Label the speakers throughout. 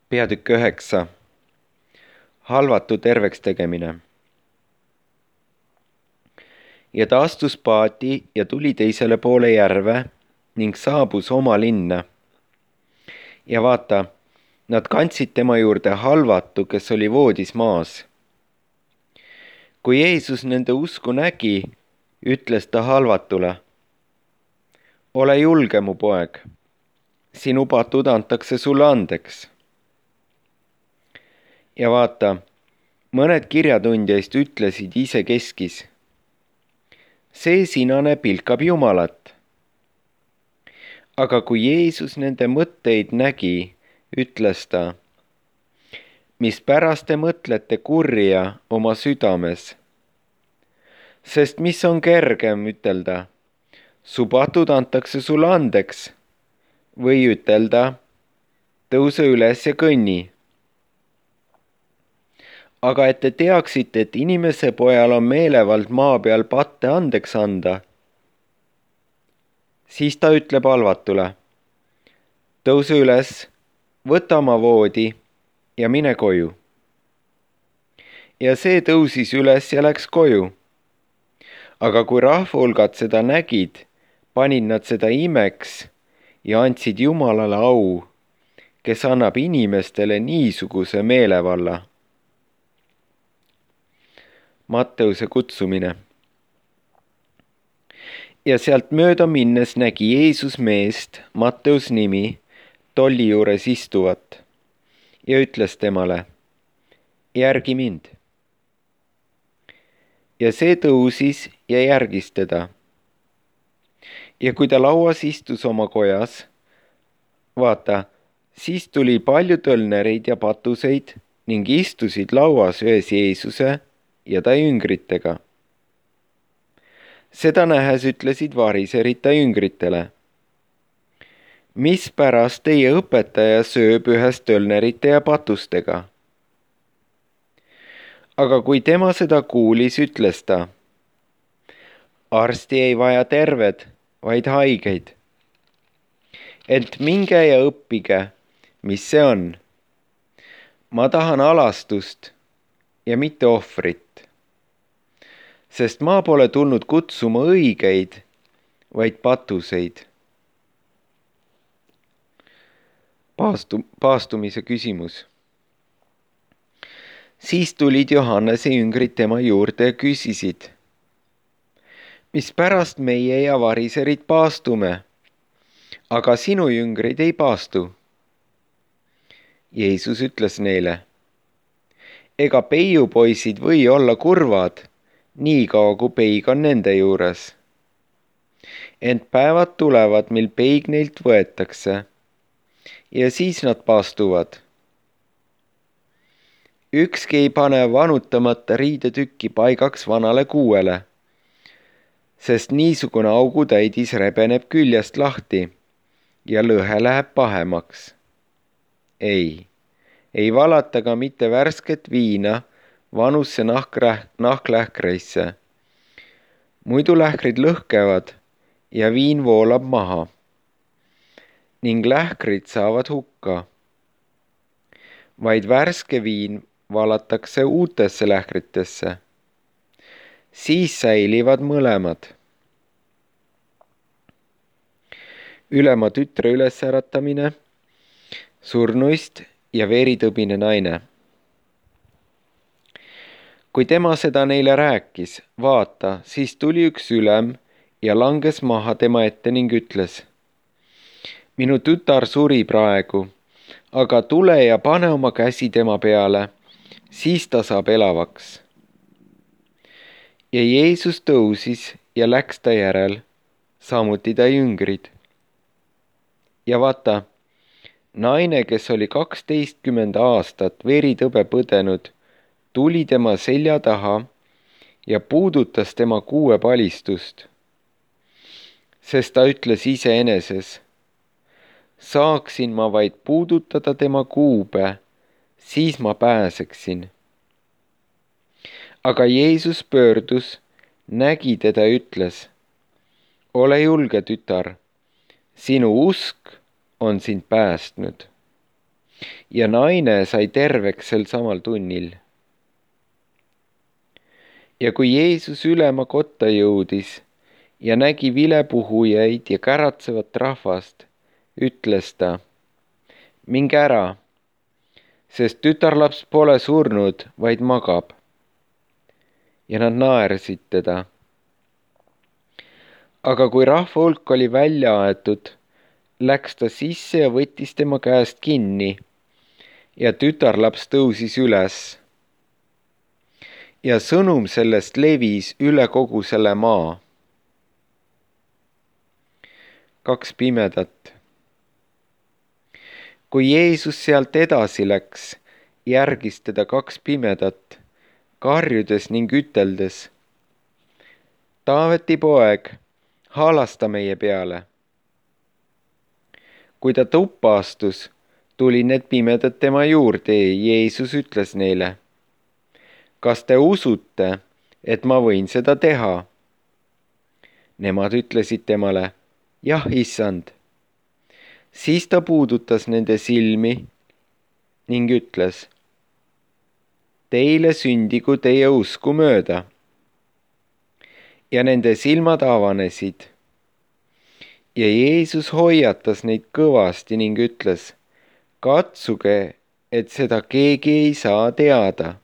Speaker 1: Peatükk 9. Halvatu terveks tegemine. Ja ta astus paati ja tuli teisele poole järve ning saabus oma linna. Ja vaata, nad kandsid tema juurde halvatu, kes oli voodis maas. Kui Jeesus nende usku nägi, ütles ta halvatule: ole julge, mu poeg, sinu patud antakse sulle andeks. Ja vaata, mõned kirjatundjaist ütlesid isekeskis: see sinane pilkab Jumalat. Aga kui Jeesus nende mõtteid nägi, ütles ta: mispärast te mõtlete kurja oma südames? Sest mis on kergem ütelda: su patud antakse sulle andeks, või ütelda: tõuse üles ja kõnni. Aga et te teaksite, et inimese pojal on meelevald maa peal patte andeks anda, siis ta ütleb halvatule: tõuse üles, võta oma voodi ja mine koju. Ja see tõusis üles ja läks koju. Aga kui rahvahulgad seda nägid, panid nad seda imeks ja andsid Jumalale au, kes annab inimestele niisuguse meelevalla. Matteuse kutsumine. Ja sealt mööda minnes nägi Jeesus meest, Matteus nimi, tolli juures istuvat ja ütles temale: järgi mind. Ja see tõusis ja järgis teda. Ja kui ta lauas istus oma kojas, vaata, siis tuli palju tölnereid ja patuseid ning istusid lauas ühes Jeesuse ja ta jüngritega. Seda nähes ütlesid variserid ta jüngritele: mispärast teie õpetaja sööb ühes tölnerite ja patustega? Aga kui tema seda kuulis, ütles ta: arsti ei vaja terved, vaid haigeid. Ent minge ja õppige, mis see on. Ma tahan alastust ja mitte ohvrit. Sest ma pole tulnud kutsuma õigeid, vaid patuseid. Paastumise küsimus. Siis tulid Johannese jüngrid tema juurde ja küsisid: mispärast meie ja variserid paastume, aga sinu jüngrid ei paastu? Jeesus ütles neile: ega peiupoisid või olla kurvad, niikaua kui peig on nende juures. Ent päevad tulevad, mil peig neilt võetakse ja siis nad paastuvad. Ükski ei pane vanutamata riidetükki paigaks vanale kuuele, sest niisugune augutäidis rebeneb küljest lahti ja lõhe läheb pahemaks. Ei valata ka mitte värsket viina vanusse nahklähkreisse. Muidu lähkrid lõhkevad ja viin voolab maha ning lähkrid saavad hukka. Vaid värske viin valatakse uutesse lähkritesse. Siis säilivad mõlemad. Ülema tütre ülesäratamine, surnuist ja veritõbine naine. Kui tema seda neile rääkis, vaata, siis tuli üks ülem ja langes maha tema ette ning ütles: minu tütar suri praegu, aga tule ja pane oma käsi tema peale, siis ta saab elavaks. Ja Jeesus tõusis ja läks ta järel, samuti ta jüngrid. Ja vaata, naine, kes oli 12 aastat veritõbe põdenud, tuli tema selja taha ja puudutas tema kuuepalistust, sest ta ütles iseeneses: saaksin ma vaid puudutada tema kuube, siis ma pääseksin. Aga Jeesus pöördus, nägi teda ja ütles: ole julge, tütar, sinu usk on sind päästnud. ja naine sai terveks sel samal tunnil. Ja kui Jeesus ülema kotta jõudis ja nägi vilepuhujaid ja käratsevat rahvast, ütles ta: minge ära, sest tütarlaps pole surnud, vaid magab. Ja nad naersid teda. Aga kui rahva hulk oli välja aetud, läks ta sisse ja võttis tema käest kinni ja tütarlaps tõusis üles. Ja sõnum sellest levis üle kogu selle maa. 2 pimedat. Kui Jeesus sealt edasi läks, järgis teda 2 pimedat, karjudes ning üteldes: Taaveti poeg, haalasta meie peale. Kui ta tuppa astus, tuli need pimedad tema juurde ja Jeesus ütles neile: kas te usute, et ma võin seda teha? Nemad ütlesid temale: jah, issand. Siis ta puudutas nende silmi ning ütles: teile sündigu teie usku mööda. Ja nende silmad avanesid. Ja Jeesus hoiatas neid kõvasti ning ütles: katsuge, et seda keegi ei saa teada.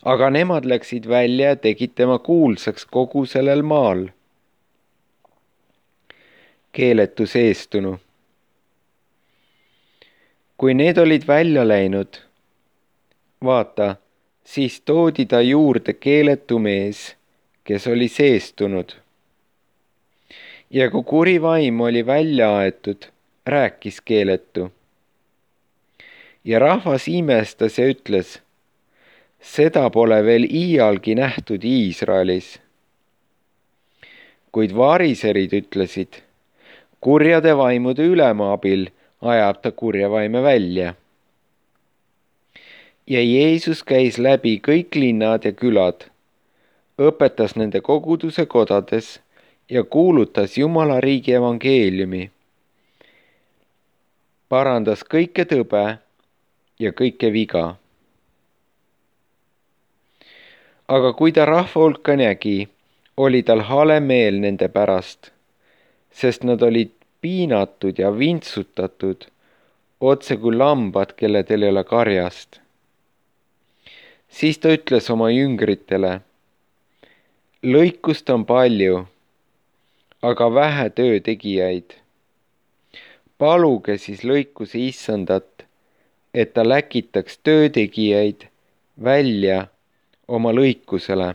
Speaker 1: Aga nemad läksid välja ja tegid tema kuulsaks kogu sellel maal. Keeletus eestunu. Kui need olid välja läinud, vaata, siis toodi ta juurde keeletu mees, kes oli seestunud. Ja kui kuri vaim oli välja aetud, rääkis keeletu. Ja rahvas imestas ja ütles: seda pole veel iialgi nähtud Iisraelis. Kuid variserid ütlesid: kurjade vaimude ülema abil ajab ta kurja vaime välja. Ja Jeesus käis läbi kõik linnad ja külad, õpetas nende koguduse kodades ja kuulutas Jumala riigi evangeeliumi. Parandas kõike tõbe ja kõike viga. Aga kui ta rahva hulka nägi, oli tal hale meel nende pärast, sest nad olid piinatud ja vintsutatud, otse kui lambad, kelledel ei ole karjast. Siis ta ütles oma jüngritele: lõikust on palju, aga vähe töötegijaid. Paluge siis lõikuse issandat, et ta läkitaks töötegijaid välja oma lõikusele.